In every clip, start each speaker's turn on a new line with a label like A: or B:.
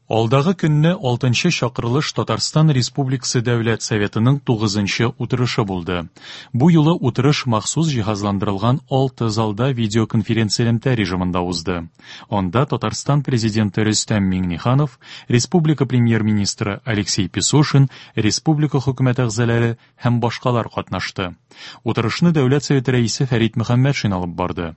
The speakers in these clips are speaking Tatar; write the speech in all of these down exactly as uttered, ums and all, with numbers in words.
A: Алдагы көнне алтынчы чакырылыш Татарстан Республикасы Дәүләт Советының тугызынчы утырышы булды. Бу юлы утырыш махсус җиһазландырылган алты залда видеоконференцэлемтә режимында узды. Анда Татарстан Президенты Рөстәм Миңнеханов, республика Премьер-министры Алексей Песошин, республика хөкүмәт әгъзалары һәм башкалар катнашты. Утырышны Дәүләт Советы рәисе Фәрит Мөхәммәтшин алып барды.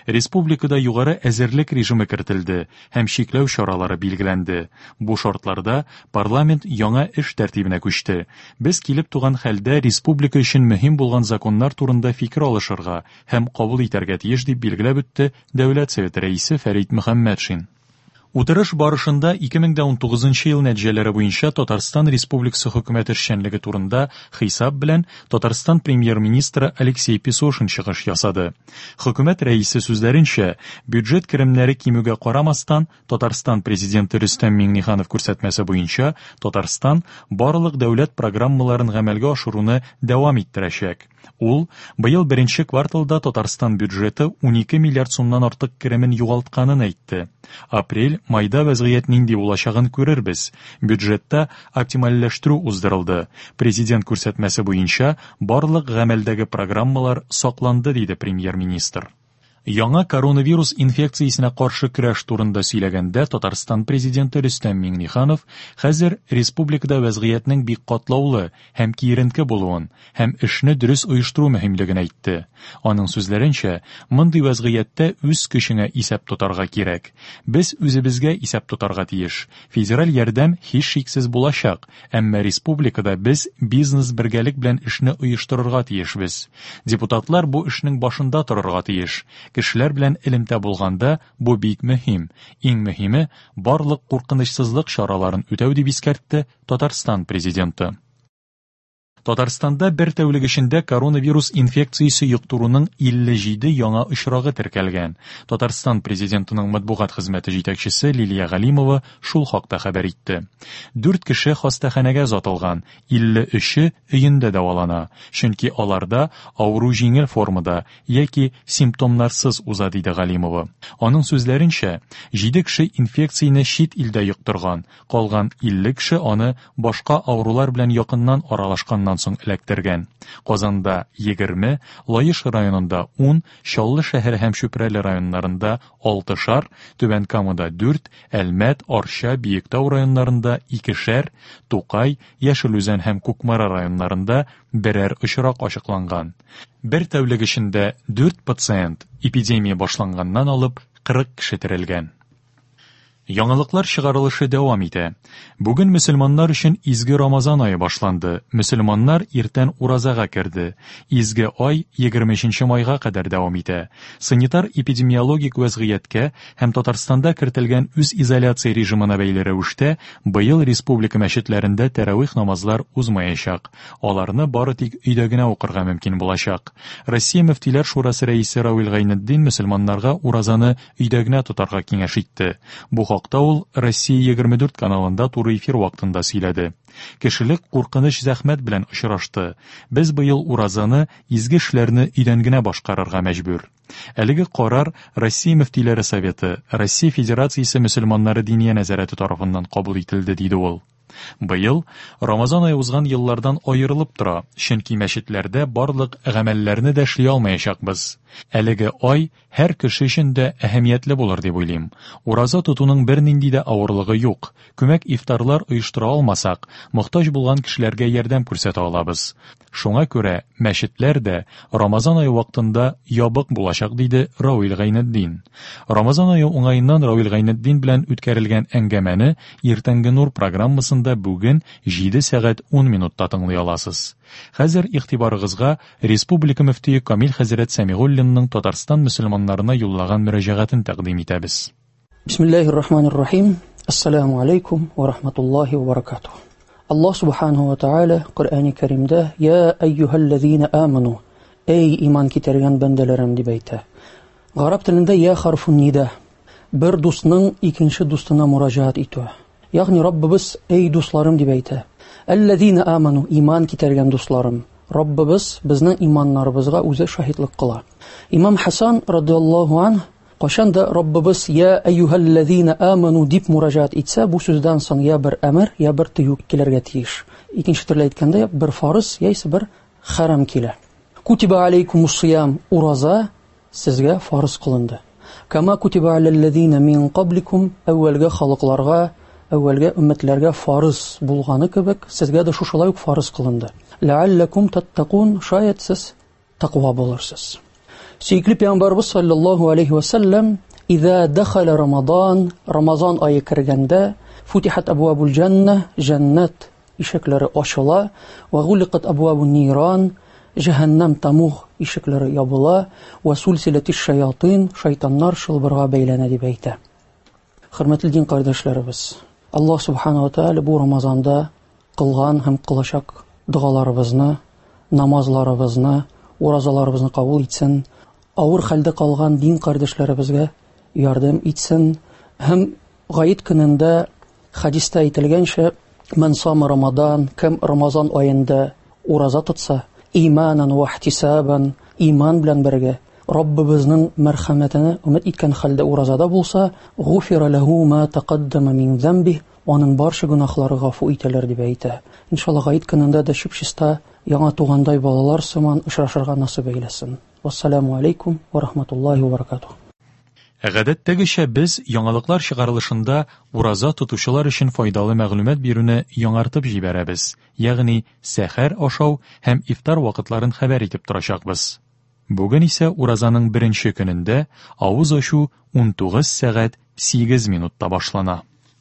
A: Республикада югары әзерлек режимы кертелде һәм чикләү чаралары билгеләнде. Бу шартларда парламент яңа эш тәртибенә күчте. Без килеп туган хәлдә республика өчен мөһим булган законнар турында фикер алышырга һәм кабул итәргә тиеш, дип билгеләп үтте Дәүләт Советы рәисе Фәрит Мөхәммәтшин. Утырыш барышында ике мең дә унтугызынчы ел нәтиҗәләре буенча Татарстан Республикасы хөкүмәте эшчәнлеге турында хисап белән Татарстан премьер-министры Алексей Песошин чыгыш ясады. Хөкүмәт рәисе сүзләренчә, бюджет керемнәре кимүгә карамастан, Татарстан президенты Рөстәм Миңнеханов күрсәтмәсе буенча Татарстан барлык дәүләт программаларын гамәлгә ашыруны дәвам иттерәчәк. Ул быел беренче кварталда Татарстан бюджеты унике миллиард сумнан артык керемен югалтканын әйтте. Апрель, майда вәзгыять нинди булачагын күрербез. Бюджетта оптимальләштерү уздырылды. Президент күрсәтмәсе буенча барлык гамәлдәге программалар сакланды, диде премьер-министр. Яңа коронавирус инфекциясенә каршы көрәш турында сөйләгәндә Татарстан президенты Рөстәм Миңнеханов хәзер республикада вәзгыятьнең бик катлаулы һәм киеренке булуын һәм эшне дөрес оештыру мөһимлеген әйтте. Аның сүзләренчә, мондый вәзгыятьтә үз көчеңә исәп тотарга кирәк. Без үзебезгә исәп тотарга тиеш. Федераль ярдәм һичшиксез булачак, әмма республикада без бизнес бергәлек белән эшне оештырырга тиешбез. Депутатлар бу эшнең башында торырга тиеш. Кешеләр белән элемтә булганда бу бик мөһим. Иң мөһиме барлык куркынычсызлык чараларын үтәү, дип искәртте Татарстан президенты. Татарстанда бер тәүлек эчендә коронавирус инфекциясе йоктыруның илле җиде яңа очрагы теркәлгән. Татарстан президентының матбугат хезмәте җитәкчесе Лилия Галимова шул хакта хәбәр итте. Дүрт кеше хастаханәгә озатылган, илле өче өендә дәвалана, чөнки аларда авыру җиңел формада яки симптомнарсыз уза, диде Галимова. Аның сүзләренчә, җиде кеше инфекцияне чит илдә йоктырган, калган илле кеше аны башка авырулар белән якыннан аралашканнан соң эләктергән. Казанда егерме, Лаеш районында ун, Чаллы шәһәре һәм Чүпрәле районнарында алтышар, Түбән Камада дүрт, Әлмәт, Арча, Биектау районнарында икешәр, Тукай, Яшел Үзән һәм Кукмара районнарында берәр очрак ачыкланган. Бер тәүлек эчендә дүрт пациент эпидемия башланганнан алып кырык кеше терелгән. Яңалыклар чыгарылышы дәвам итә. Бүген мөселманнар өчен изге Рамазан ае башланды. Мөселманнар иртән уразага керде. Изге ай егерме өченче майга кадәр дәвам итә. Санитар эпидемиологик вәзгыятькә һәм Татарстанда кертелгән үз изоляция режимына бәйле рәвештә быел республика мәчетләрендә тәравих намазлар узмаячак. Аларны бары тик өйдә генә укырга мөмкин булачак. Россия Мөфтиләр Шурасы рәисе Равил Гайнетдин мөселманнарга уразаны өйдә генә тотарга киңәш итте. Бу хакта ул Россия егерме дүрт каналында туры эфир вакытында сөйләде. Кешелек куркыныч зәхмәт белән очрашты. Без быел уразаны изге эшләрне өйдән генә башкарырга мәҗбүр. Әлеге карар Россия Мөфтиләре Советы, Россия Федерациясе мөселманнары диния нәзарәте тарафыннан кабул ителде, диде ул. Быел Рамазан ае узган еллардан аерылып тора, чөнки мәчетләрдә барлык гамәлләрне дә эшли алмаячакбыз. Әлеге ай һәр кеше өчен дә әһәмиятле булыр дип уйлыйм. Ураза тотуның бернинди дә авырлыгы юк. Күмәк ифтарлар оештыра алмасак, мохтаҗ булган кешеләргә ярдәм күрсәтә алабыз. Шуңа күрә мәчетләр дә Рамазан ае вакытында ябык булачак, диде Равил Гайнетдин. Рамазан ае уңаеннан Равил Гайнетдин белән үткәрелгән әңгәмәне Иртәнге нур программасында бүген җиде сәгать ун минутта тыңлый аласыз. Хәзер игътибарыгызга Республика мөфтие Камил хәзрәт Сәмигуллинның Татарстан мөселманнарына юллаган мөрәҗәгатен тәкъдим итәбез.
B: Бисмиллаһир рахманир рахим. Ассаламу алейкум ва рахматуллахи ва баракатух. Аллаһ субханаху ва тааля Коръәни Кәримдә: Я әйюһәлләзина аману, эй иман китергән бәндәләрем, дип әйтә. Гарәп телендә я харфун нида, бер дусның икенче дустына мөрәҗәгать итүе. Ягъни Раббыбыз эй дусларым дип әйтә. Әлләзина аману, иман китергән дусларым. Раббыбыз безнең иманнарыбызга үзе шаһитлык кыла. Имам Хасан радиаллаһу анһ Кайчан да Раббыбыз «Я әйюһәлләзина аману» дип мураҗаат итсә, бу сүздән соң я бер әмер, я бер тыю килергә тиеш. Икенче төрле әйткәндә, бер фарыз яисә бер хәрам килә. Кутиба алейкумус сиям, ураза сезгә фарыз кылынды. Кама кутиба алаллазина мин кабликум, әүвәлге халыкларга, әүвәлге өммәтләргә фарыз булганы кебек, сезгә дә шушылай ук фарыз кылынды. Ләалләкум таттакун, шаят сез тәкъва булырсыз. Сөекле пәйгамбәрбез саллаллаһу алейхи ва саллям, «Иза дахала Рамадан», Рамазан ае кергәндә, футихат абвабул җанна, җәннәт ишекләре ачыла, ва гуликат абвабун ниран, җәһәннәм тамуг ишекләре ябыла, ва сулсилатиш шаятин, шайтаннар чылбырга бәйләнә дип әйтә. Хөрмәтле дин кардәшләребез, Аллаһ субхана ва тааля бу Рамазанда кылган һәм кылачак догаларыбызны, намазларыбызны, уразаларыбызны кабул итсен, авыр хәлдә калган дин кардәшләребезгә ярдәм итсен һәм гает көнендә хадистә әйтелгәнчә, «Ман сама Рамадан», кем Рамазан аенда ураза тотса, иманан ва ихтисабан, иман белән бергә Раббыбызның мәрхәмәтенә өмет иткән хәлдә уразада булса, гуфира ләһу ма тақаддама мин замби, аның барча гөнаһлары гафу ителер дип әйтә. Иншалла гает көнендә дә чип-чиста яңа тугандай балалар сыман очрашырга насыйп әйләсен. Вассаламу алейкум ва рахматуллахи ва баракатуһ.
A: Гадәттәгечә без яңалыклар чыгарылышында ураза тотучылар өчен файдалы мәгълүмат бирүне яңартып җибәрәбез, ягъни сәхәр ашау һәм ифтар вакытларын хәбәр итеп торачакбыз. Бүген исә уразаның беренче көнендә авыз ачу унтугыз сәгать сигез минутта башлана.